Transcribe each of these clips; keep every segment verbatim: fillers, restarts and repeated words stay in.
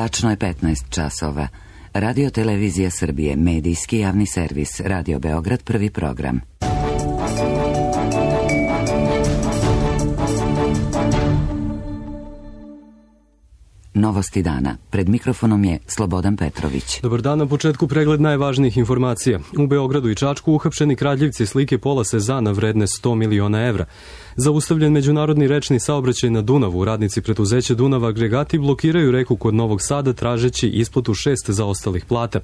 Tačno je petnaest časova. Radio Televizija Srbije, medijski javni servis, Radio Beograd, prvi program. Novosti dana. Pred mikrofonom je Slobodan Petrović. Dobar dan, na početku pregled najvažnijih informacija. U Beogradu i Čačku uhapšeni kradljivci slike pola Sezana vredne sto miliona evra. Zaustavljen međunarodni rečni saobraćaj na Dunavu. Radnici preduzeća Dunav Agregati blokiraju reku kod Novog Sada tražeći isplatu šest zaostalih plata.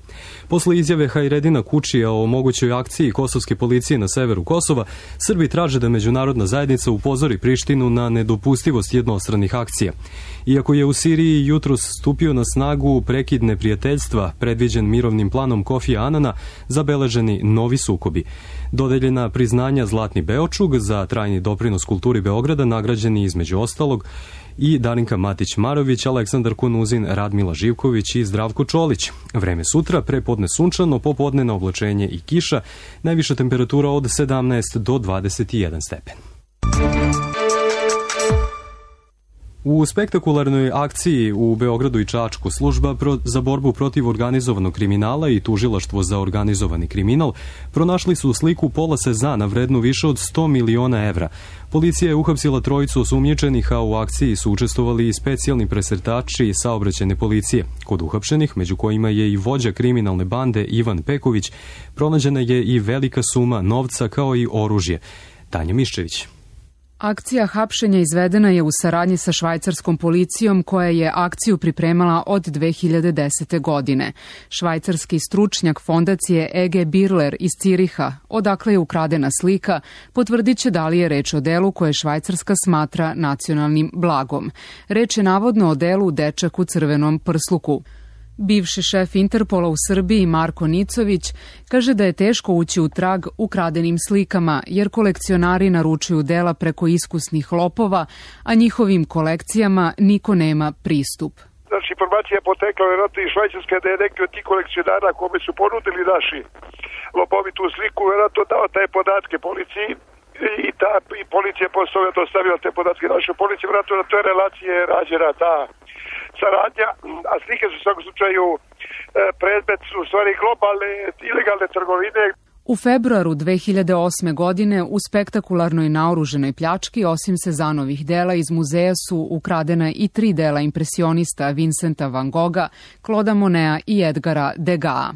Posle izjave Hajredina Kučija o mogućoj akciji kosovske policije na severu Kosova, Srbi traže da međunarodna zajednica upozori Prištinu na nedopustivost jednostranih akcija. Iako je u Siriji jutros stupio na snagu prekid neprijateljstva predviđen mirovnim planom Kofija Anana, zabeleženi novi sukobi. Dodeljena priznanja Zlatni Beočug za trajni doprinos kulturi Beograda nagrađeni između ostalog i Darinka Matić-Marović, Aleksandar Kunuzin, Radmila Živković i Zdravko Čolić. Vreme sutra, prepodne sunčano, popodne na oblačenje i kiša, najviša temperatura od sedamnaest do dvadeset jedan stepen. U spektakularnoj akciji u Beogradu i Čačku služba za borbu protiv organizovanog kriminala i tužilaštvo za organizovani kriminal pronašli su sliku pola Sezana vrednu više od sto miliona evra. Policija je uhapsila trojicu osumnjičenih, a u akciji su učestvovali i specijalni presretači saobraćajne policije. Kod uhapšenih, među kojima je i vođa kriminalne bande Ivan Peković, pronađena je i velika suma novca kao i oružje. Tanja Miščević. Akcija hapšenja izvedena je u saradnji sa švajcarskom policijom koja je akciju pripremala od dve hiljade desete. godine. Švajcarski stručnjak fondacije E G Birler iz Ciriha, odakle je ukradena slika, potvrdit će da li je reč o delu koje Švajcarska smatra nacionalnim blagom. Reč je navodno o delu Dečak u crvenom prsluku. Bivši šef Interpola u Srbiji Marko Nicović kaže da je teško ući u trag ukradenim slikama jer kolekcionari naručuju dela preko iskusnih lopova, a njihovim kolekcijama niko nema pristup. Znači, informacija je potekla vjerojatno iz Švajcarske da je neki od tih kolekcionara kome su ponudili naši lopovi tu sliku, vjerojatno dao te podatke policiji i ta i policija posle je dostavila te podatke našoj policiji, vjerojatno na toj relacije je rađena ta saradnja, a slike su u svakom slučaju predmet u stvari globalne ilegalne trgovine. U februaru dve hiljade osme. godine u spektakularnoj naoruženoj pljački osim Sezanovih dela iz muzeja su ukradena i tri dela impresionista Vincenta van Gogha, Clauda Moneta i Edgara Degas.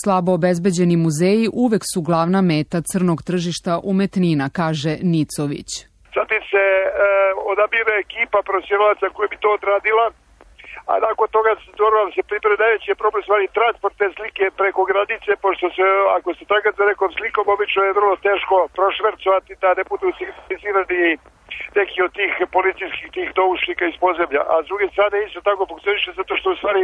Slabo obezbeđeni muzeji uvek su glavna meta crnog tržišta umetnina, kaže Nicović. Zatim se e, odabire ekipa profesionalaca koja bi to odradila, a nakon toga da se pripremi najveći problem stvari transport te slike preko granice, pošto se, ako se tragate za nekom slikom, obično je vrlo teško prošvercovati da ne budu signalizirani neki od tih policijskih tih doušnika iz podzemlja. A s druge strane isto tako funkcioniše zato što u stvari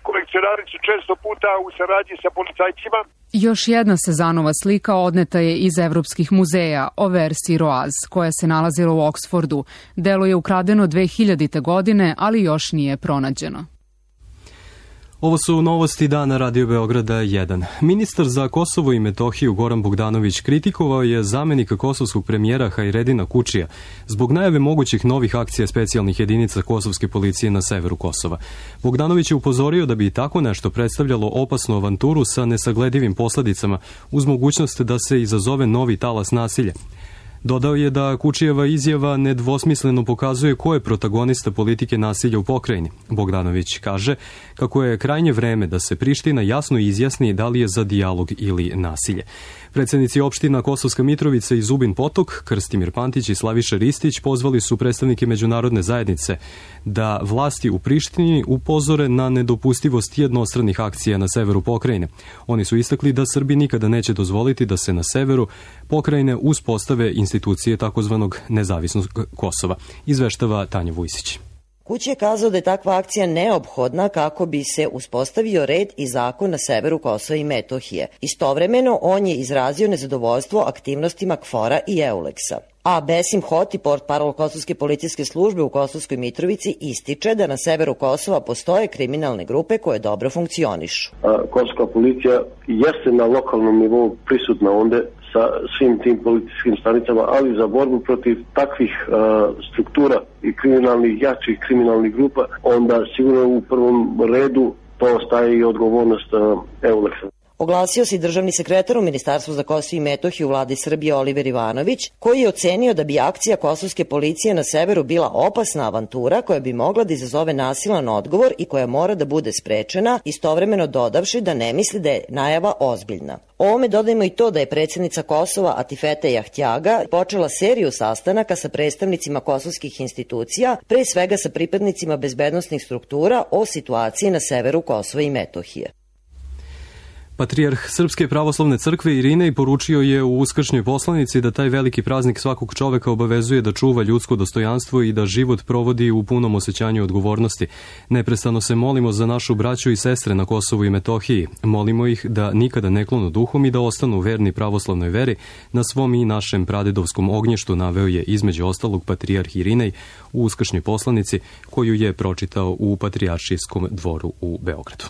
kolekcionari su često puta u saradnji sa policajcima. Još jedna Sezanova slika odneta je iz evropskih muzeja, Auvers-sur-Oise, koja se nalazila u Oksfordu. Delo je ukradeno dve hiljadite. godine, ali još nije pronađeno. Ovo su novosti dana Radio Beograda jedan. Ministar za Kosovo i Metohiju Goran Bogdanović kritikovao je zamenika kosovskog premijera Hajredina Kučija zbog najave mogućih novih akcija specijalnih jedinica kosovske policije na severu Kosova. Bogdanović je upozorio da bi tako nešto predstavljalo opasnu avanturu sa nesagledivim posledicama uz mogućnost da se izazove novi talas nasilja. Dodao je da Kučijeva izjava nedvosmisleno pokazuje ko je protagonista politike nasilja u pokrajini. Bogdanović kaže kako je krajnje vreme da se Priština jasno izjasni da li je za dijalog ili nasilje. Predsednici opština Kosovska Mitrovica i Zubin Potok, Krstimir Pantić i Slaviša Ristić pozvali su predstavnike međunarodne zajednice da vlasti u Prištini upozore na nedopustivost jednostranih akcija na severu pokrajine. Oni su istakli da Srbi nikada neće dozvoliti da se na severu pokrajine uspostave institucije takozvanog nezavisnog Kosova, izveštava Tanja Vujsić. Kući je kazao da je takva akcija neophodna kako bi se uspostavio red i zakon na severu Kosova i Metohije. Istovremeno, on je izrazio nezadovoljstvo aktivnostima KFOR-a i EULEX-a. A Besim Hoti, portparol Kosovske policijske službe u Kosovskoj Mitrovici, ističe da na severu Kosova postoje kriminalne grupe koje dobro funkcionišu. Kosovska policija jeste na lokalnom nivou prisutna onde sa svim tim policijskim stanicama, ali za borbu protiv takvih uh, struktura i kriminalnih, jačih kriminalnih grupa, onda sigurno u prvom redu to ostaje i odgovornost uh, Euleksa. Oglasio se i državni sekretar u Ministarstvu za Kosovo i Metohiju u vladi Srbije Oliver Ivanović, koji je ocenio da bi akcija kosovske policije na severu bila opasna avantura koja bi mogla da izazove nasilan odgovor i koja mora da bude sprečena, istovremeno dodavši da ne misli da je najava ozbiljna. Ovome dodajemo i to da je predsjednica Kosova Atifete Jahtjaga počela seriju sastanaka sa predstavnicima kosovskih institucija, pre svega sa pripadnicima bezbednosnih struktura o situaciji na severu Kosova i Metohije. Patrijarh Srpske pravoslavne crkve Irinej poručio je u uskršnjoj poslanici da taj veliki praznik svakog čoveka obavezuje da čuva ljudsko dostojanstvo i da život provodi u punom osjećanju odgovornosti. Neprestano se molimo za našu braću i sestre na Kosovu i Metohiji. Molimo ih da nikada ne klonu duhom i da ostanu verni pravoslavnoj veri na svom i našem pradedovskom ognjištu, naveo je između ostalog patrijarh Irinej u uskršnjoj poslanici koju je pročitao u Patrijaršijskom dvoru u Beogradu.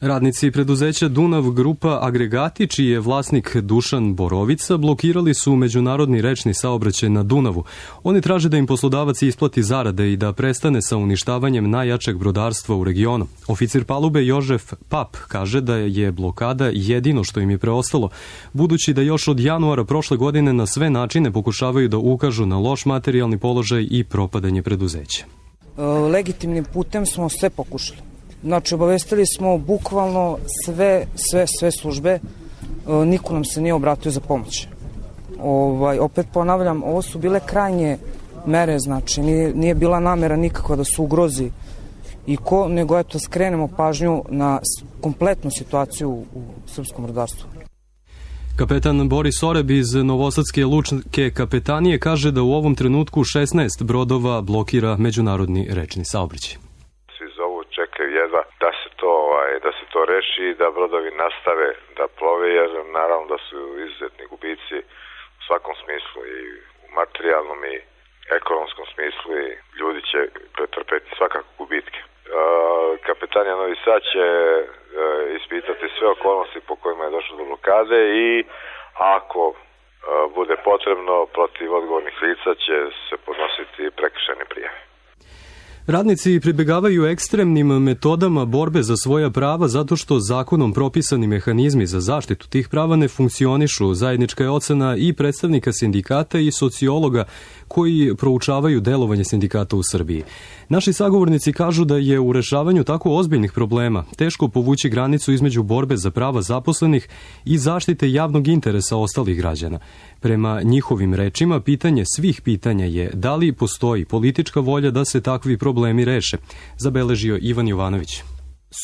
Radnici preduzeća Dunav Grupa Agregati, čiji je vlasnik Dušan Borovica, blokirali su međunarodni rečni saobraćaj na Dunavu. Oni traže da im poslodavac isplati zarade i da prestane sa uništavanjem najjačeg brodarstva u regionu. Oficir palube Jožef Pap kaže da je blokada jedino što im je preostalo, budući da još od januara prošle godine na sve načine pokušavaju da ukažu na loš materijalni položaj i propadanje preduzeća. Legitimnim putem smo sve pokušali. Znači, obavestili smo bukvalno sve, sve, sve službe, e, niko nam se nije obratio za pomoć. Ovaj, opet ponavljam, ovo su bile krajnje mere, znači, nije, nije bila namera nikakva da se ugrozi i ko, nego eto skrenemo pažnju na kompletnu situaciju u srpskom brodarstvu. Kapetan Boris Oreb iz Novosadske lučke kapetanije kaže da u ovom trenutku šesnaest brodova blokira međunarodni rečni saobraćaj. Čekaju jedva da se to ovaj, da se to reši i da brodovi nastave da plove, jer naravno da su izuzetni gubici u svakom smislu, i u materijalnom i ekonomskom smislu, i ljudi će pretrpeti svakako gubitke. E, kapetanija Novi Sad će e, ispitati sve okolnosti po kojima je došlo do blokade i ako e, bude potrebno, protiv odgovornih lica će se podnositi prekršajne prijave. Radnici pribegavaju ekstremnim metodama borbe za svoja prava zato što zakonom propisani mehanizmi za zaštitu tih prava ne funkcionišu. Zajednička je ocena i predstavnika sindikata i sociologa koji proučavaju delovanje sindikata u Srbiji. Naši sagovornici kažu da je u rešavanju tako ozbiljnih problema teško povući granicu između borbe za prava zaposlenih i zaštite javnog interesa ostalih građana. Prema njihovim rečima, pitanje svih pitanja je da li postoji politička volja da se takvi problemi reše, zabeležio Ivan Jovanović.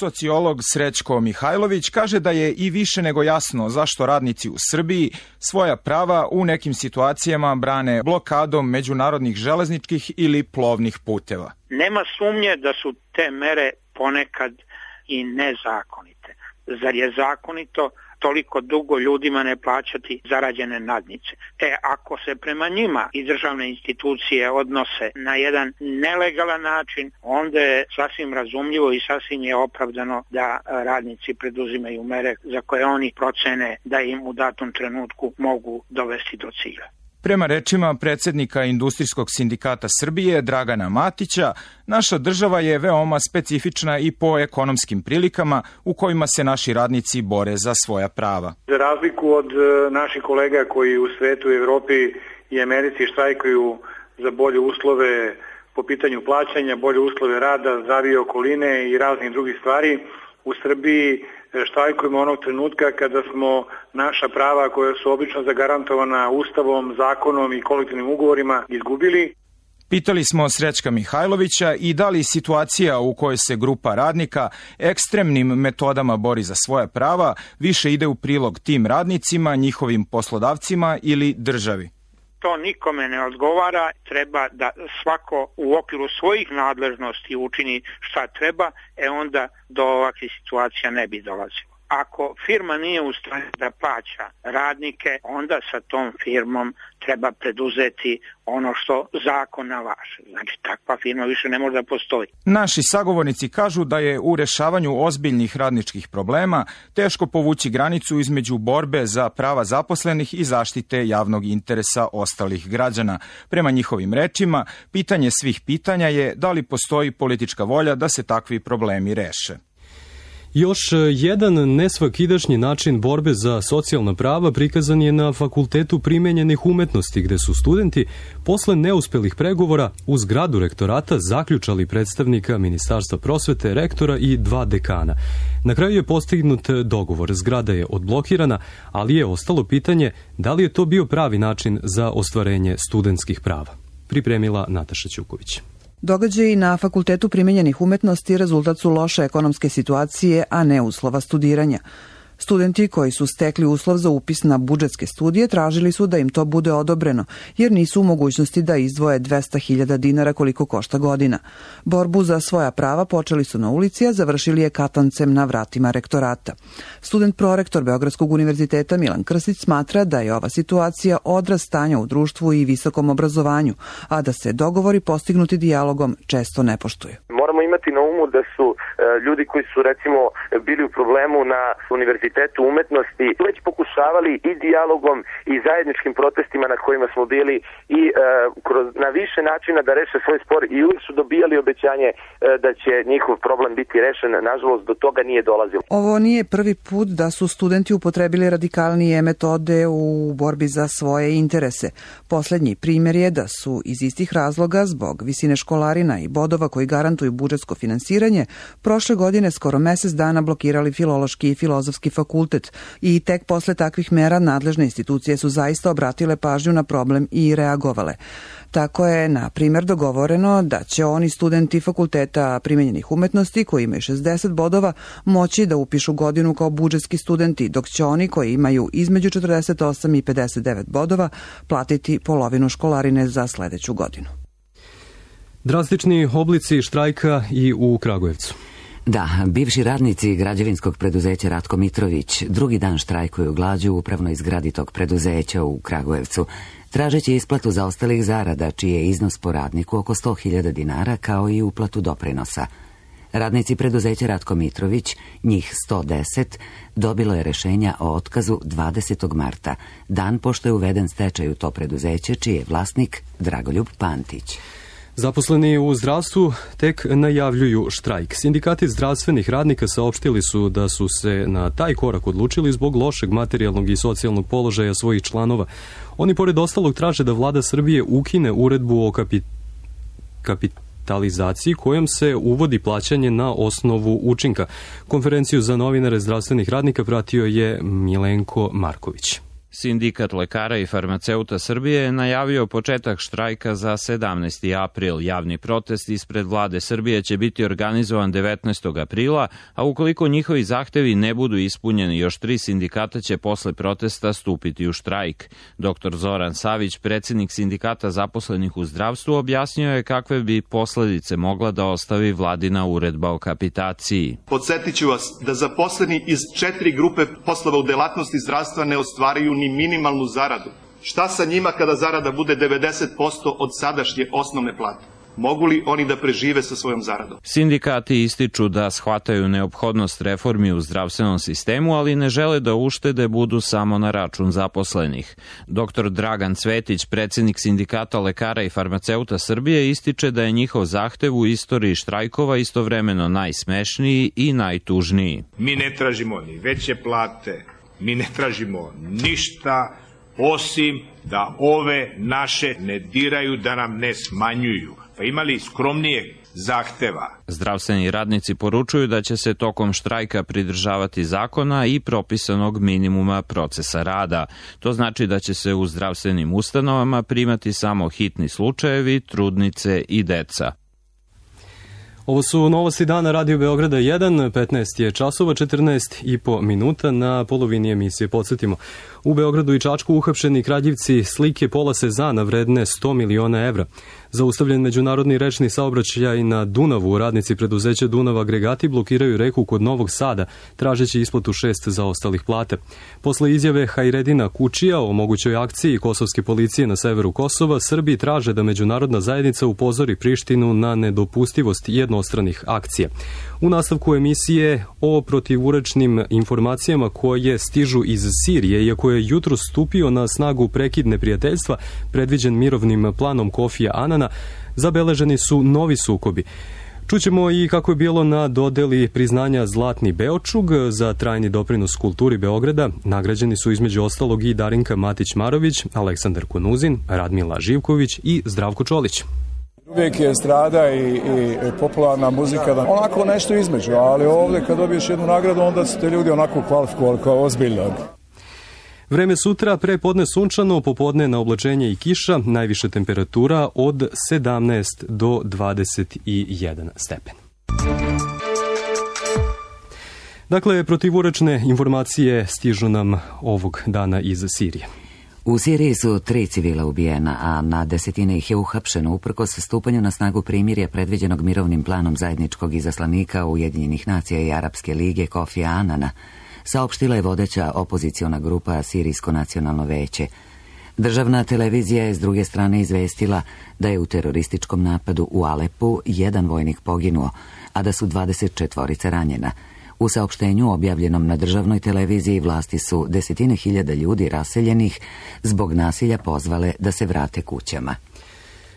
Sociolog Srećko Mihajlović kaže da je i više nego jasno zašto radnici u Srbiji svoja prava u nekim situacijama brane blokadom međunarodnih železničkih ili plovnih puteva. Nema sumnje da su te mere ponekad i nezakonite. Zar je zakonito toliko dugo ljudima ne plaćati zarađene nadnice? E, ako se prema njima i državne institucije odnose na jedan nelegalan način, onda je sasvim razumljivo i sasvim je opravdano da radnici preduzimaju mere za koje oni procene da im u datom trenutku mogu dovesti do cilja. Prema rečima predsjednika Industrijskog sindikata Srbije Dragana Matića, naša država je veoma specifična i po ekonomskim prilikama u kojima se naši radnici bore za svoja prava. Za razliku od naših kolega koji u svetu i Evropi i Americi štrajkuju za bolje uslove po pitanju plaćanja, bolje uslove rada, zdravije okoline i raznih drugih stvari, u Srbiji štrajkujemo onog trenutka kada smo naša prava koja su obično zagarantovana Ustavom, zakonom i kolektivnim ugovorima izgubili. Pitali smo Srećka Mihajlovića i da li situacija u kojoj se grupa radnika ekstremnim metodama bori za svoja prava više ide u prilog tim radnicima, njihovim poslodavcima ili državi. To nikome ne odgovara, treba da svako u okviru svojih nadležnosti učini šta treba, e onda do ovakvih situacija ne bi dolazilo. Ako firma nije u stanju da plaća radnike, onda sa tom firmom treba preduzeti ono što zakon nalaže. Znači, takva firma više ne može da postoji. Naši sagovornici kažu da je u rešavanju ozbiljnih radničkih problema teško povući granicu između borbe za prava zaposlenih i zaštite javnog interesa ostalih građana. Prema njihovim rečima, pitanje svih pitanja je da li postoji politička volja da se takvi problemi reše. Još jedan nesvakidašnji način borbe za socijalna prava prikazan je na Fakultetu primenjenih umetnosti, gde su studenti posle neuspelih pregovora u zgradu rektorata zaključali predstavnika Ministarstva prosvete, rektora i dva dekana. Na kraju je postignut dogovor, zgrada je odblokirana, ali je ostalo pitanje da li je to bio pravi način za ostvarenje studentskih prava. Pripremila Nataša Ćuković. Događaji na Fakultetu primenjenih umetnosti rezultat su loše ekonomske situacije, a ne uslova studiranja. Studenti koji su stekli uslov za upis na budžetske studije tražili su da im to bude odobreno, jer nisu u mogućnosti da izdvoje dvesta hiljada dinara koliko košta godina. Borbu za svoja prava počeli su na ulici, a završili je katancem na vratima rektorata. Student prorektor Beogradskog univerziteta Milan Krstić smatra da je ova situacija odraz stanja u društvu i visokom obrazovanju, a da se dogovori postignuti dijalogom često ne poštuju. Moramo imati na umu da su e, ljudi koji su recimo bili u problemu na Univerzitetu umetnosti već pokušavali i dijalogom i zajedničkim protestima na kojima smo bili i e, kroz, na više načina da reše svoj spor i uvijek su dobijali obećanje e, da će njihov problem biti rešen. Nažalost, do toga nije dolazilo. Ovo nije prvi put da su studenti upotrebili radikalnije metode u borbi za svoje interese. Poslednji primjer je da su iz istih razloga, zbog visine školarina i bodova koji garantuju budžetsko finansiranje, prošle godine skoro mesec dana blokirali Filološki i Filozofski fakultet i tek posle takvih mera nadležne institucije su zaista obratile pažnju na problem i reagovale. Tako je, na primjer, dogovoreno da će oni studenti Fakulteta primenjenih umetnosti koji imaju šezdeset bodova moći da upišu godinu kao budžetski studenti, dok će oni koji imaju između četrdeset osam i pedeset devet bodova platiti polovinu školarine za sledeću godinu. Drastični oblici štrajka i u Kragujevcu. Da, bivši radnici građevinskog preduzeća Ratko Mitrović drugi dan štrajkuju glađu u upravnoj zgradi tog preduzeća u Kragujevcu, tražeći isplatu zaostalih zarada, čiji je iznos po radniku oko sto hiljada dinara, kao i uplatu doprinosa. Radnici preduzeća Ratko Mitrović, njih sto deset, dobilo je rešenja o otkazu dvadesetog marta, dan pošto je uveden stečaj u to preduzeće, čiji je vlasnik Dragoljub Pantić. Zaposleni u zdravstvu tek najavljuju štrajk. Sindikati zdravstvenih radnika saopštili su da su se na taj korak odlučili zbog lošeg materijalnog i socijalnog položaja svojih članova. Oni pored ostalog traže da vlada Srbije ukine uredbu o kapi... kapitalizaciji kojom se uvodi plaćanje na osnovu učinka. Konferenciju za novinare zdravstvenih radnika pratio je Milenko Marković. Sindikat lekara i farmaceuta Srbije je najavio početak štrajka za sedamnaesti april. Javni protest ispred vlade Srbije će biti organizovan devetnaestog aprila, a ukoliko njihovi zahtevi ne budu ispunjeni, još tri sindikata će posle protesta stupiti u štrajk. Doktor Zoran Savić, predsjednik sindikata zaposlenih u zdravstvu, objasnio je kakve bi posledice mogla da ostavi vladina uredba o kapitaciji. Podsjetit ću vas da zaposleni iz četiri grupe poslova u delatnosti zdravstva ne ostvaraju ni minimalnu zaradu. Šta sa njima kada zarada bude devedeset posto od sadašnje osnovne plate? Mogu li oni da prežive sa svojom zaradom? Sindikati ističu da shvataju neophodnost reformi u zdravstvenom sistemu, ali ne žele da uštede budu samo na račun zaposlenih. Doktor Dragan Cvetić, predsjednik sindikata lekara i farmaceuta Srbije, ističe da je njihov zahtev u istoriji štrajkova istovremeno najsmešniji i najtužniji. Mi ne tražimo ni veće plate, mi ne tražimo ništa osim da ove naše ne diraju, da nam ne smanjuju. Pa imali skromnijeg zahteva. Zdravstveni radnici poručuju da će se tokom štrajka pridržavati zakona i propisanog minimuma procesa rada. To znači da će se u zdravstvenim ustanovama primati samo hitni slučajevi, trudnice i deca. Ovo su novosti dana Radio Beograda jedan, petnaest je časova, četrnaest i po minuta. Na polovini emisije podsjetimo. U Beogradu i Čačku uhapšeni kradljivci slike Pola Sezana vredne sto miliona evra. Zaustavljen međunarodni rečni saobraćaj na Dunavu, radnici preduzeća Dunav agregati blokiraju reku kod Novog Sada, tražeći isplatu šest zaostalih plate. Posle izjave Hajredina Kučija o mogućoj akciji kosovske policije na severu Kosova, Srbi traže da međunarodna zajednica upozori Prištinu na nedopustivost jednostranih akcija. U nastavku emisije o protivurečnim informacijama koje stižu iz Sirije, iako je jutro stupio na snagu prekid neprijateljstva predviđen mirovnim planom Kofija Anana, zabeleženi su novi sukobi. Čućemo i kako je bilo na dodeli priznanja Zlatni Beočug za trajni doprinos kulturi Beograda. Nagrađeni su između ostalog i Darinka Matić-Marović, Aleksandar Konuzin, Radmila Živković i Zdravko Čolić. Uvijek je strada i, i popularna muzika, da onako nešto između, ali ovdje kad dobiješ jednu nagradu, onda su te ljudi onako kvalifikovali kao ozbiljno. Vreme sutra, pre podne sunčano, popodne na oblačenje i kiša, najviša temperatura od sedamnaest do dvadeset jedan stepen. Dakle, protivurečne informacije stižu nam ovog dana iz Sirije. U Siriji su tri civila ubijena, a na desetine ih je uhapšeno uprkos stupanju na snagu primirja predviđenog mirovnim planom zajedničkog izaslanika Ujedinjenih nacija i Arapske lige Kofija Anana, saopštila je vodeća opoziciona grupa Sirijsko nacionalno veće. Državna televizija je s druge strane izvestila da je u terorističkom napadu u Alepu jedan vojnik poginuo, a da su dvadeset četvorica ranjena. U saopštenju objavljenom na državnoj televiziji vlasti su desetine hiljada ljudi raseljenih zbog nasilja pozvale da se vrate kućama.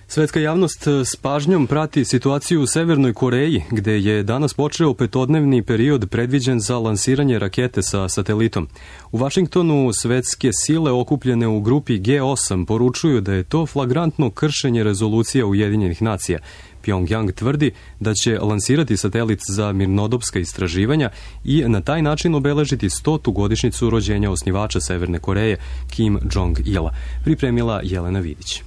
Svetska javnost s pažnjom prati situaciju u Severnoj Koreji, gde je danas počeo petodnevni period predviđen za lansiranje rakete sa satelitom. U Vašingtonu svetske sile okupljene u grupi G osam poručuju da je to flagrantno kršenje rezolucija Ujedinjenih nacija. Pjongjang tvrdi da će lansirati satelit za mirnodopska istraživanja i na taj način obeležiti stotu godišnjicu rođenja osnivača Severne Koreje, Kim Jong-ila. Pripremila Jelena Vidić.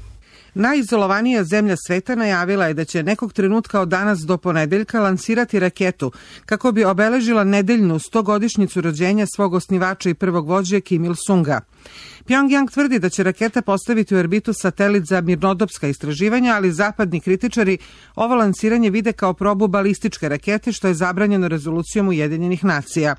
Najizolovanija zemlja sveta najavila je da će nekog trenutka od danas do ponedeljka lansirati raketu kako bi obeležila nedeljnu stogodišnjicu rođenja svog osnivača i prvog vođe Kim Il-sunga. Pjongjang tvrdi da će raketa postaviti u orbitu satelit za mirnodopska istraživanja, ali zapadni kritičari ovo lansiranje vide kao probu balističke rakete, što je zabranjeno rezolucijom Ujedinjenih nacija.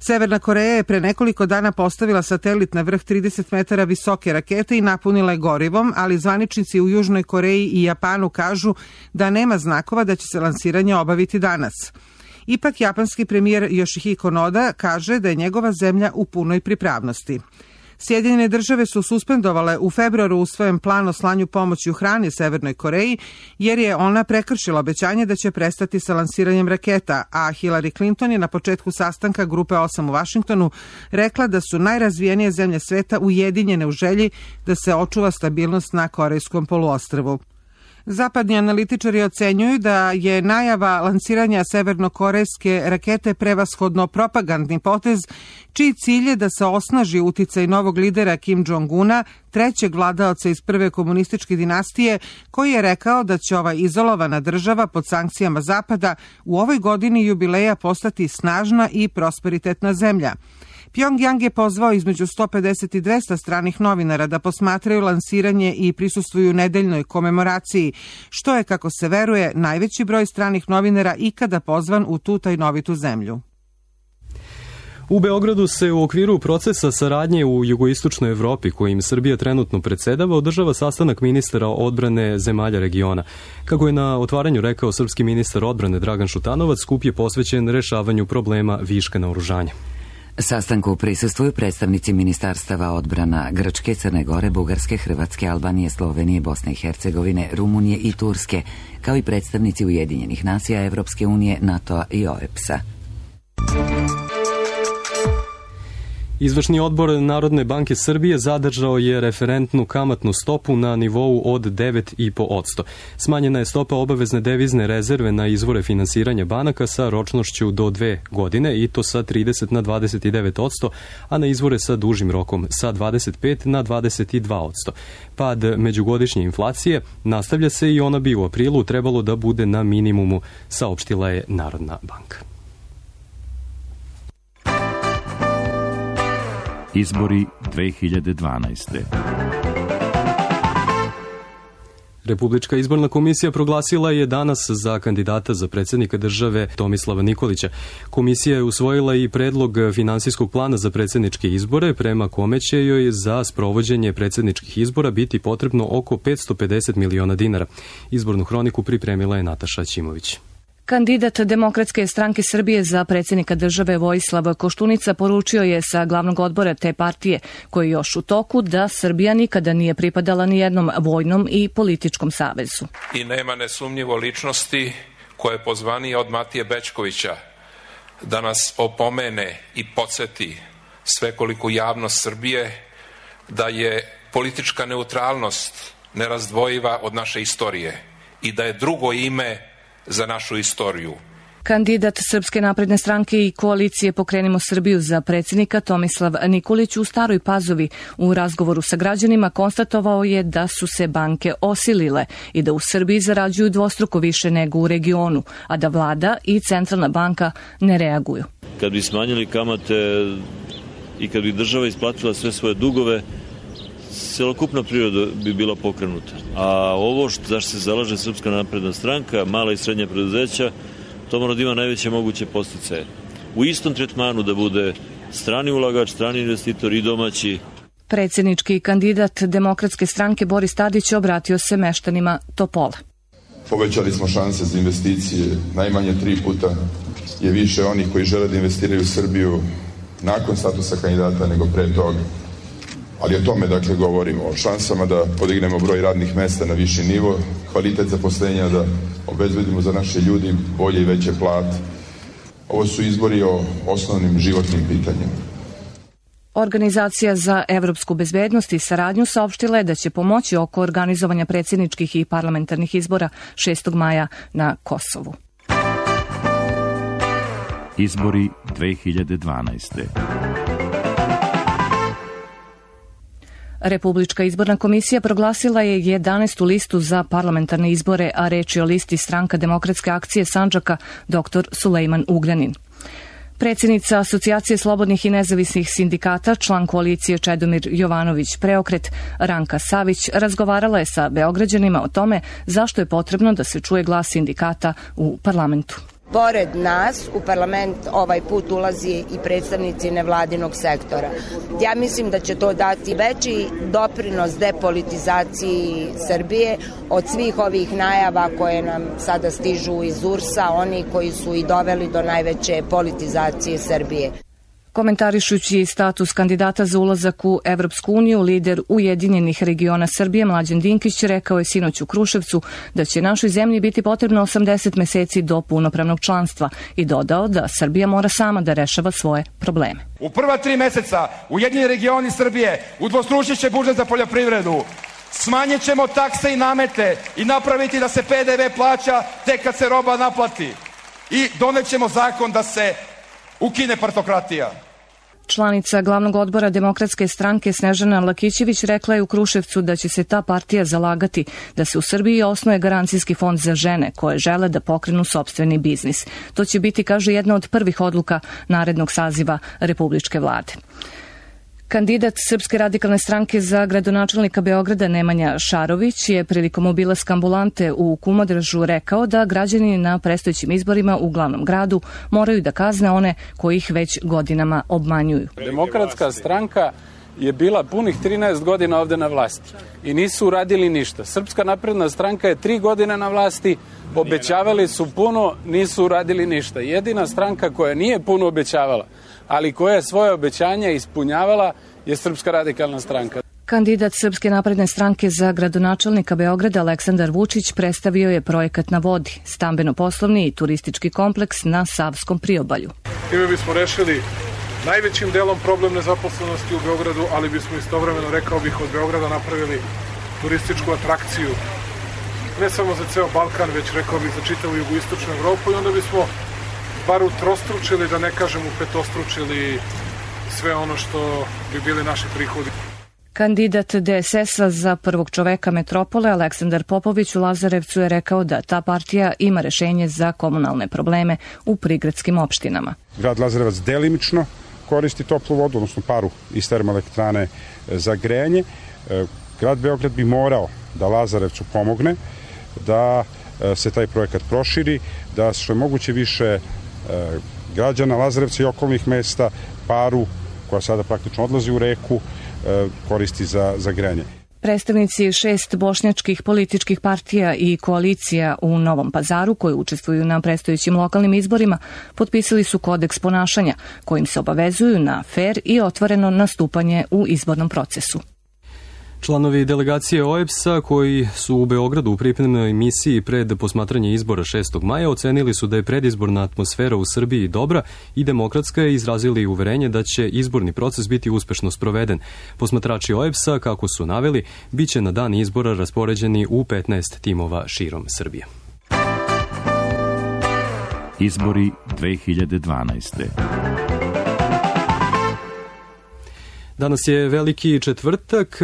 Severna Koreja je pre nekoliko dana postavila satelit na vrh trideset metara visoke rakete i napunila je gorivom, ali zvaničnici u Južnoj Koreji i Japanu kažu da nema znakova da će se lansiranje obaviti danas. Ipak japanski premijer Yoshihiko Noda kaže da je njegova zemlja u punoj pripravnosti. Sjedinjene države su suspendovale u februaru usvojen plan o slanju pomoći u hrani Severnoj Koreji, jer je ona prekršila obećanje da će prestati sa lansiranjem raketa, a Hillary Clinton je na početku sastanka Grupe osam u Vašingtonu rekla da su najrazvijenije zemlje sveta ujedinjene u želji da se očuva stabilnost na Korejskom poluostrvu. Zapadni analitičari ocenjuju da je najava lansiranja severnokorejske rakete prevashodno propagandni potez, čiji cilj je da se osnaži uticaj novog lidera Kim Jong-una, trećeg vladaoca iz prve komunističke dinastije, koji je rekao da će ova izolovana država pod sankcijama Zapada u ovoj godini jubileja postati snažna i prosperitetna zemlja. Pjongjang je pozvao između sto pedeset i dvesta stranih novinara da posmatraju lansiranje i prisustvuju nedeljnoj komemoraciji, što je, kako se veruje, najveći broj stranih novinara ikada pozvan u tu tajnovitu zemlju. U Beogradu se u okviru procesa saradnje u jugoistočnoj Evropi, kojim Srbija trenutno predsedava, održava sastanak ministara odbrane zemalja regiona. Kako je na otvaranju rekao srpski ministar odbrane Dragan Šutanovac, skup je posvećen rešavanju problema viška naoružanja. Sastanku prisustvuju predstavnici ministarstava odbrana Grčke, Crne Gore, Bugarske, Hrvatske, Albanije, Slovenije, Bosne i Hercegovine, Rumunije i Turske, kao i predstavnici Ujedinjenih nacija, Evropske unije, NATO-a i O E P S-a. Izvršni odbor Narodne banke Srbije zadržao je referentnu kamatnu stopu na nivou od devet zarez pet posto. Smanjena je stopa obavezne devizne rezerve na izvore finansiranja banaka sa ročnošću do dve godine i to sa trideset na dvadeset devet posto, a na izvore sa dužim rokom sa dvadeset pet na dvadeset dva posto. Pad međugodišnje inflacije nastavlja se i ona bi u aprilu trebalo da bude na minimumu, saopštila je Narodna banka. Izbori dve hiljade dvanaeste. Republička izborna komisija proglasila je danas za kandidata za predsjednika države Tomislava Nikolića. Komisija je usvojila i predlog finansijskog plana za predsjedničke izbore, prema kome će joj za sprovođenje predsjedničkih izbora biti potrebno oko petsto pedeset miliona dinara. Izbornu hroniku pripremila je Nataša Ćimović. Kandidat Demokratske stranke Srbije za predsjednika države Vojislav Koštunica poručio je sa glavnog odbora te partije, koji je još u toku, da Srbija nikada nije pripadala ni jednom vojnom i političkom savezu. I nema nesumnjivo ličnosti koja je pozvanija od Matije Bećkovića da nas opomene i podsjeti svekoliku javnost Srbije da je politička neutralnost nerazdvojiva od naše istorije i da je drugo ime za našu istoriju. Kandidat Srpske napredne stranke i koalicije Pokrenimo Srbiju za predsjednika Tomislav Nikolić u Staroj Pazovi u razgovoru sa građanima konstatovao je da su se banke osilile i da u Srbiji zarađuju dvostruko više nego u regionu, a da vlada i centralna banka ne reaguju. Kad bi smanjili kamate i kad bi država isplatila sve svoje dugove, celokupna priroda bi bila pokrenuta. A ovo što, zašto se zalaže Srpska napredna stranka, mala i srednja preduzeća, to mora da ima najveće moguće posticaje. U istom tretmanu da bude strani ulagač, strani investitor i domaći. Predsjednički kandidat Demokratske stranke Boris Tadić obratio se meštanima Topola. Povećali smo šanse za investicije, najmanje tri puta je više onih koji žele da investiraju u Srbiju nakon statusa kandidata nego pre toga. Ali o tome, dakle, govorimo, o šansama da podignemo broj radnih mesta na viši nivo, kvalitet zaposlenja da obezbedimo za naše ljudi bolje i veće plate. Ovo su izbori o osnovnim životnim pitanjima. Organizacija za evropsku bezbednost i saradnju saopštila je da će pomoći oko organizovanja predsjedničkih i parlamentarnih izbora šestog maja na Kosovu. Izbori dve hiljade dvanaeste. Republička izborna komisija proglasila je jedanaestu listu za parlamentarne izbore, a reč je o listi Stranka demokratske akcije Sandžaka dr Sulejman Ugljanin. Predsjednica Asocijacije slobodnih i nezavisnih sindikata, član koalicije Čedomir Jovanović Preokret, Ranka Savić, razgovarala je sa Beograđanima o tome zašto je potrebno da se čuje glas sindikata u parlamentu. Pored nas u parlament ovaj put ulazi i predstavnici nevladinog sektora. Ja mislim da će to dati veći doprinos depolitizaciji Srbije od svih ovih najava koje nam sada stižu iz U R S-a, oni koji su i doveli do najveće politizacije Srbije. Komentarišući status kandidata za ulazak u Evropsku uniju, lider Ujedinjenih regiona Srbije Mlađan Dinkić rekao je sinoć u Kruševcu da će našoj zemlji biti potrebno osamdeset meseci do punopravnog članstva i dodao da Srbija mora sama da rešava svoje probleme. U prva tri meseca Ujedinjeni regioni Srbije udvostručit će budžet za poljoprivredu. Smanjit ćemo takse i namete i napraviti da se P D V plaća tek kad se roba naplati. I donećemo zakon da se ukine partokratija. Članica glavnog odbora Demokratske stranke Snežana Lakićević rekla je u Kruševcu da će se ta partija zalagati da se u Srbiji osnuje garancijski fond za žene koje žele da pokrenu sopstveni biznis. To će biti, kaže, jedna od prvih odluka narednog saziva Republičke vlade. Kandidat Srpske radikalne stranke za gradonačelnika Beograda Nemanja Šarović je prilikom obilaska ambulante u Kumodražu rekao da građani na predstojećim izborima u glavnom gradu moraju da kazne one koji ih već godinama obmanjuju. Demokratska stranka je bila punih trinaest godina ovde na vlasti i nisu uradili ništa. Srpska napredna stranka je tri godine na vlasti, obećavali su puno, nisu uradili ništa. Jedina stranka koja nije puno obećavala, ali koja je svoje obećanja ispunjavala, je Srpska radikalna stranka. Kandidat Srpske napredne stranke za gradonačelnika Beograda Aleksandar Vučić predstavio je projekat na vodi, stambeno-poslovni i turistički kompleks na Savskom priobalju. Time bismo rešili najvećim delom problem nezaposlenosti u Beogradu, ali bismo istovremeno, rekao bih, od Beograda napravili turističku atrakciju. Ne samo za ceo Balkan, već, rekao bih, za čitavu jugoistočnu Evropu, i onda bismo bar utrostručili, da ne kažem upetostručili, sve ono što bi bili naši prihodi. Kandidat D S S-a za prvog čoveka metropole Aleksandar Popović u Lazarevcu je rekao da ta partija ima rešenje za komunalne probleme u prigradskim opštinama. Grad Lazarevac delimično koristi toplu vodu, odnosno paru iz termoelektrane za grejanje. Grad Beograd bi morao da Lazarevcu pomogne, da se taj projekat proširi, da što je moguće više građana Lazarevca i okolnih mesta paru, koja sada praktično odlazi u reku, koristi za, za grejanje. Predstavnici šest bošnjačkih političkih partija i koalicija u Novom Pazaru, koji učestvuju na predstojećim lokalnim izborima, potpisali su kodeks ponašanja, kojim se obavezuju na fer i otvoreno nastupanje u izbornom procesu. Članovi delegacije O E B S-a koji su u Beogradu u pripremnoj misiji pred posmatranje izbora šestog maja ocenili su da je predizborna atmosfera u Srbiji dobra i demokratska i izrazili uverenje da će izborni proces biti uspešno sproveden. Posmatrači O E B S-a, kako su naveli, bit će na dan izbora raspoređeni u petnaest timova širom Srbije. Izbori dve hiljade dvanaeste. Danas je Veliki četvrtak.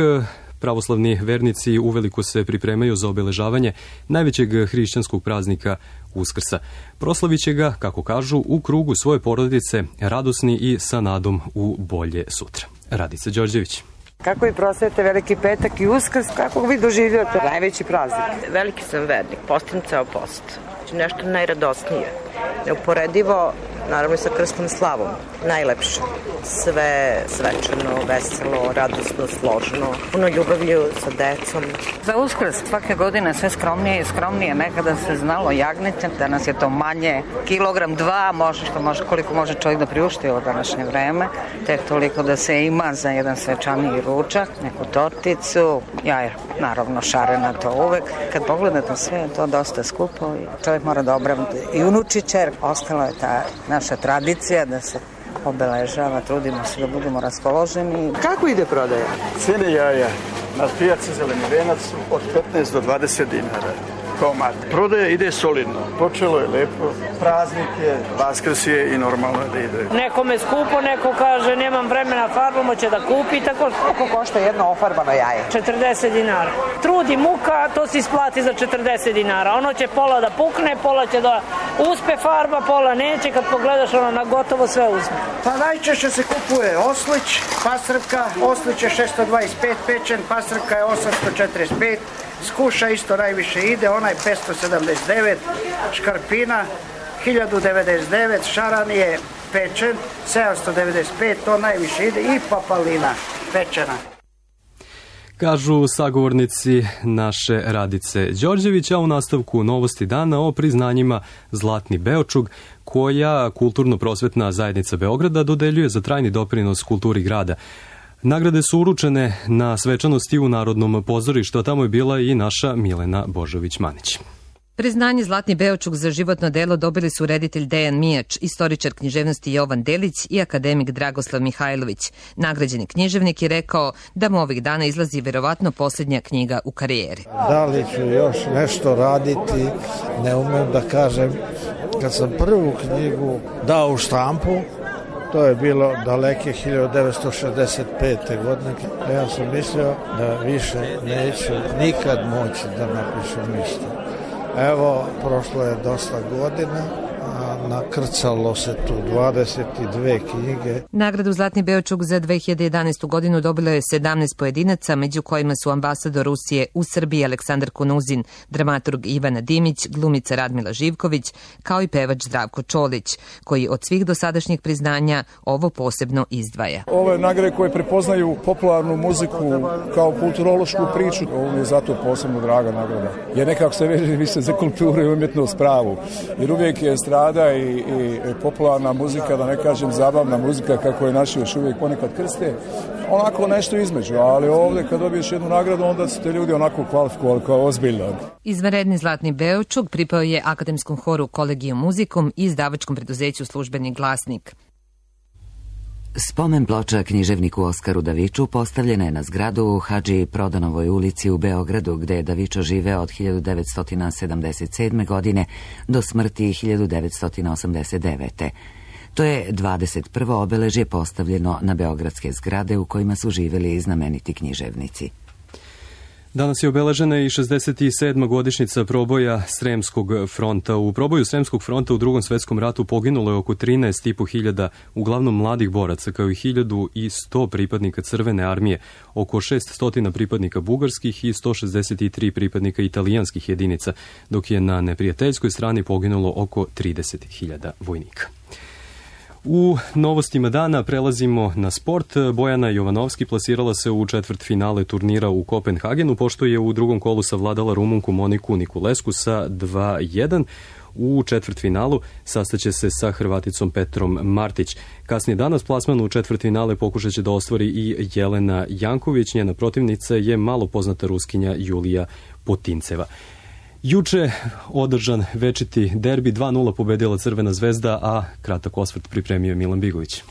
Pravoslavni vernici uveliko se pripremaju za obeležavanje najvećeg hrišćanskog praznika Uskrsa. Proslavit će ga, kako kažu, u krugu svoje porodice, radosni i sa nadom u bolje sutra. Radica Đorđević. Kako vi proslavite Veliki petak i Uskrs, kako vi doživljate najveći praznik? Veliki sam vernik, postim ceo post. Nešto najradosnije, neuporedivo, naravno i sa krstom slavom, najlepše. Sve svečano, veselo, radosno, složno, puno ljubavlju sa decom. Za Uskrs svake godine sve skromnije i skromnije, nekada se znalo jagnete, danas je to manje, kilogram dva, može što može, koliko može čovjek da priušti u današnje vreme, tek toliko da se ima za jedan svečaniji ručak, neku torticu, jaja, naravno šarena to uvek. Kad pogledate sve, je to dosta skupo i čovjek mora da obrati i unuči čer. Ostala je ta naša tradicija da se obeležava, trudimo se da budemo raspoloženi. Kako ide prodaja? Cene jaja na pijaci Zeleni venac od petnaest do dvadeset dinara. Komad. Prodaja ide solidno. Počelo je lepo. Praznik je, Vaskrs je i normalno da ide. Nekome skupo, neko kaže nemam vremena, farbamo će da kupi, tako. Koliko košta jedno ofarbano jaje? četrdeset dinara. Trud i muka, to se isplati za četrdeset dinara. Ono će pola da pukne, pola će da uspe farba, pola neće. Kad pogledaš ono na gotovo sve uzme. Pa najčešće se kupuje oslić, pastrka. Oslić je šesto dvadeset pet pečen, pastrka je osamsto četrdeset pet. Skuša isto najviše ide, onaj petsto sedamdeset devet, škarpina hiljadu devedeset devet, šaran je pečen sedamsto devedeset pet, to najviše ide, i papalina pečena. Kažu sagovornici naše Radice Đorđević, a u nastavku novosti dana o priznanjima Zlatni Beočug, koja Kulturno-prosvetna zajednica Beograda dodeljuje za trajni doprinos kulturi grada. Nagrade su uručene na svečanosti u Narodnom pozorištu, a tamo je bila i naša Milena Božović-Manić. Priznanje Zlatni Beočug za životno delo dobili su reditelj Dejan Mijač, istoričar književnosti Jovan Delić i akademik Dragoslav Mihajlović. Nagrađeni književnik je rekao da mu ovih dana izlazi verovatno posljednja knjiga u karijeri. Da li ću još nešto raditi, ne umem da kažem. Kad sam prvu knjigu dao u štampu, to je bilo daleke hiljadu devetsto šezdeset pete. godine. Ja sam mislio da više neću nikad moći da napišem ništa. Evo, prošlo je dosta godina, a nakrcalo se tu dvadeset dve knjige. Nagradu Zlatni Beočug za dve hiljade jedanaestu. godinu dobilo je sedamnaest pojedinaca, među kojima su ambasador Rusije u Srbiji Aleksandar Kunuzin, dramaturg Ivana Dimić, glumica Radmila Živković, kao i pevač Zdravko Čolić, koji od svih dosadašnjih priznanja ovo posebno izdvaja. Ove nagrade koje prepoznaju popularnu muziku kao kulturološku priču, ovo je zato posebno draga nagrada. Jer nekako se veže više za kulturu i umjetnost pravu. Jer uvijek je strada i, i popularna muzika, da ne kažem zabavna muzika, kako je naši još uvijek ponekad krste, onako nešto između, ali ovdje kad dobiješ jednu nagradu, onda su te ljudi onako kvalifikovali kao ozbiljno. Izvanredni Zlatni Beočug pripao je akademskom horu Kolegijum muzikum i izdavačkom preduzeću Službeni glasnik. Spomen ploča književniku Oskaru Daviču postavljena je na zgradu u Hadži Prodanovoj ulici u Beogradu, gde je Davičo živeo od hiljadu devetsto sedamdeset sedme. godine do smrti hiljadu devetsto osamdeset devete. To je dvadeset prvo obeležje postavljeno na beogradske zgrade u kojima su živjeli znameniti književnici. Danas je obeležena i šezdeset sedma godišnjica proboja Sremskog fronta. U proboju Sremskog fronta u Drugom svetskom ratu poginulo je oko trinaest i po hiljada, uglavnom mladih boraca, kao i hiljadu sto pripadnika Crvene armije, oko šesnaest pripadnika bugarskih i sto šezdeset tri pripadnika italijanskih jedinica, dok je na neprijateljskoj strani poginulo oko trideset hiljada vojnika. U novostima dana prelazimo na sport. Bojana Jovanovski plasirala se u četvrtfinale turnira u Kopenhagenu, pošto je u drugom kolu savladala Rumunku Moniku Nikulesku sa dva jedan. U četvrtfinalu sastaće se sa Hrvaticom Petrom Martić. Kasnije danas plasman u četvrtfinale pokušat će da ostvari i Jelena Janković. Njena protivnica je malo poznata Ruskinja Julija Potinceva. Juče održan večiti derbi, dva nula pobedila Crvena zvezda, a kratak osvrt pripremio Milan Bigović.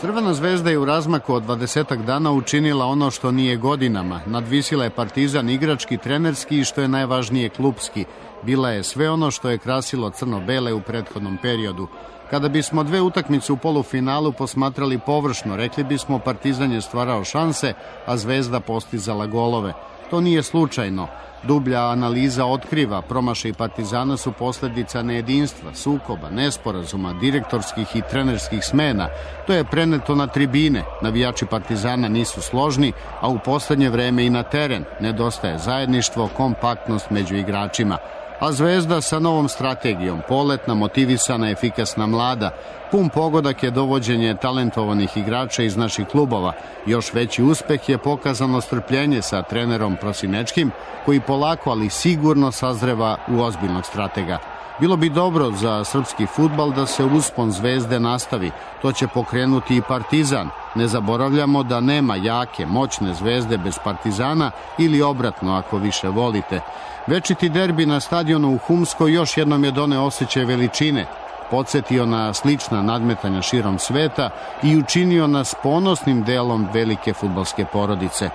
Crvena zvezda je u razmaku od dvadesetak dana učinila ono što nije godinama. Nadvisila je Partizan igrački, trenerski i što je najvažnije klupski. Bila je sve ono što je krasilo crno-bele u prethodnom periodu. Kada bismo dve utakmice u polufinalu posmatrali površno, rekli bismo Partizan je stvarao šanse, a Zvezda postizala golove. To nije slučajno. Dublja analiza otkriva, promašaj Partizana su posljedica nejedinstva, sukoba, nesporazuma, direktorskih i trenerskih smena. To je preneto na tribine. Navijači Partizana nisu složni, a u posljednje vreme i na teren. Nedostaje zajedništvo, kompaktnost među igračima. A Zvezda sa novom strategijom, poletna, motivisana, efikasna, mlada. Pun pogodak je dovođenje talentovanih igrača iz naših klubova. Još veći uspeh je pokazano strpljenje sa trenerom Prosinečkim, koji polako, ali sigurno sazreva u ozbiljnog stratega. Bilo bi dobro za srpski fudbal da se uspon Zvezde nastavi. To će pokrenuti i Partizan. Ne zaboravljamo da nema jake, moćne Zvezde bez Partizana ili obratno ako više volite. Večiti derbi na stadionu u Humskoj još jednom je doneo osjećaj veličine, podsjetio na slična nadmetanja širom sveta i učinio nas ponosnim delom velike fudbalske porodice.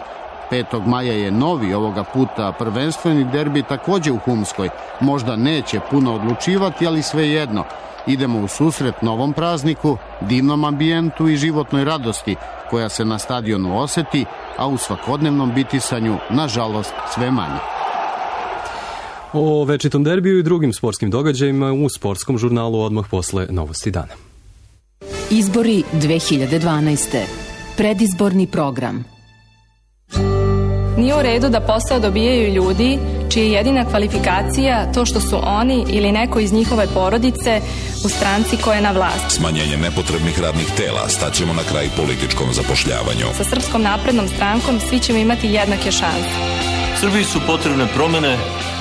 petog maja je novi ovoga puta prvenstveni derbi također u Humskoj. Možda neće puno odlučivati, ali svejedno. Idemo u susret novom prazniku, divnom ambijentu i životnoj radosti koja se na stadionu osjeti, a u svakodnevnom bitisanju, nažalost, sve manje. O večitom derbiju i drugim sportskim događajima u sportskom žurnalu odmah posle novosti dana. Izbori dve hiljade dvanaeste. Predizborni program. Nije u redu da posao dobijaju ljudi čija je jedina kvalifikacija to što su oni ili neko iz njihove porodice u stranci koja je na vlasti. Smanjenjem nepotrebnih radnih tela staćemo na kraj političkom zapošljavanju. Sa Srpskom naprednom strankom svi ćemo imati jednake šanse. Srbiji su potrebne promene,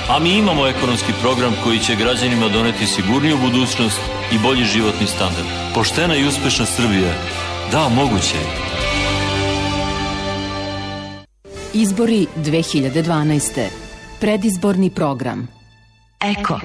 a mi imamo ekonomski program koji će građanima doneti sigurniju budućnost i bolji životni standard. Poštena i uspešna Srbija. Da, moguće je. Izbori dve hiljade dvanaeste. Predizborni program. Eko.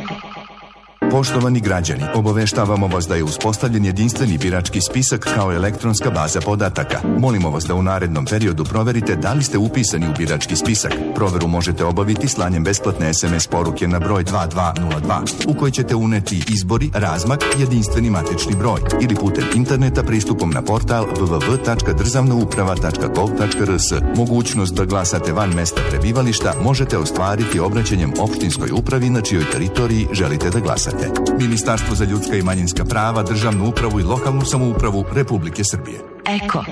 Poštovani građani, obaveštavamo vas da je uspostavljen jedinstveni birački spisak kao elektronska baza podataka. Molimo vas da u narednom periodu proverite da li ste upisani u birački spisak. Proveru možete obaviti slanjem besplatne es em es poruke na broj dva dva nula dva u kojoj ćete uneti izbori, razmak, jedinstveni matični broj ili putem interneta pristupom na portal w w w tačka državna uprava tačka gov tačka r s. Mogućnost da glasate van mesta prebivališta možete ostvariti obraćanjem opštinskoj upravi na čijoj teritoriji želite da glasate. Ministarstvo za ljudska i manjinska prava, državnu upravu i lokalnu samoupravu Republike Srbije. Eko.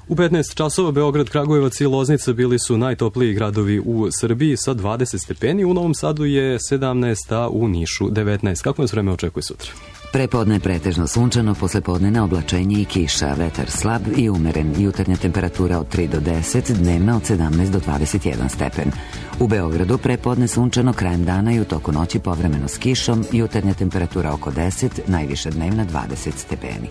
U petnaest časova Beograd, Kragujevac i Loznica bili su najtopliji gradovi u Srbiji sa dvadeset stepeni. U Novom Sadu je sedamnaest, a u Nišu devetnaest. Kako nas vreme očekuje sutra? Prepodne pretežno sunčano, poslepodne na oblačenje i kiša, vetar slab i umeren, jutarnja temperatura od tri do deset, dnevna od sedamnaest do dvadeset jedan stepen. U Beogradu prepodne sunčano, krajem dana i u toku noći povremeno s kišom, jutarnja temperatura oko deset, najviša dnevna dvadeset stepeni.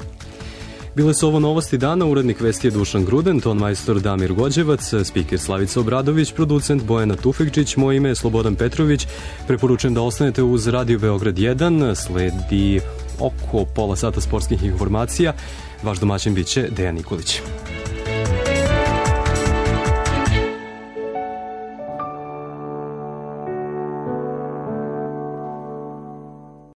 Bile su ovo novosti dana, urednik vesti je Dušan Gruden, ton majstor Damir Gođevac, spiker Slavica Obradović, producent Bojana Tufekčić, moje ime je Slobodan Petrović. Preporučujem da ostanete uz Radio Beograd jedan, sledi oko pola sata sportskih informacija. Vaš domaćin biće Dejan Nikolić.